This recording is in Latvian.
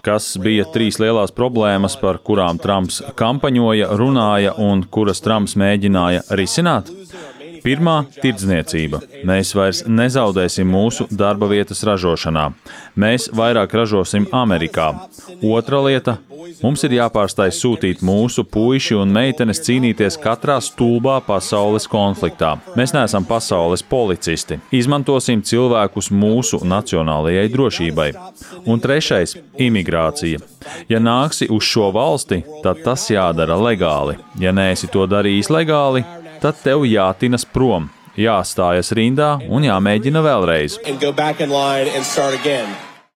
Kas bija 3 lielās problēmas, par kurām Trumps kampaņoja, runāja un kuras Trumps mēģināja risināt? Pirmā – tirdzniecība. Mēs vairs nezaudēsim mūsu darba vietas ražošanā. Mēs vairāk ražosim Amerikā. Otra lieta – mums ir jāpārstāj sūtīt mūsu puiši un meitenes cīnīties katrā stulbā pasaules konfliktā. Mēs neesam pasaules policisti. Izmantosim cilvēkus mūsu nacionālajai drošībai. Un trešais – imigrācija. Ja nāksi uz šo valsti, tad tas jādara legāli. Ja neesi to darījis legāli, tad tev jātinas prom, jāstājas rindā un jāmēģina vēlreiz.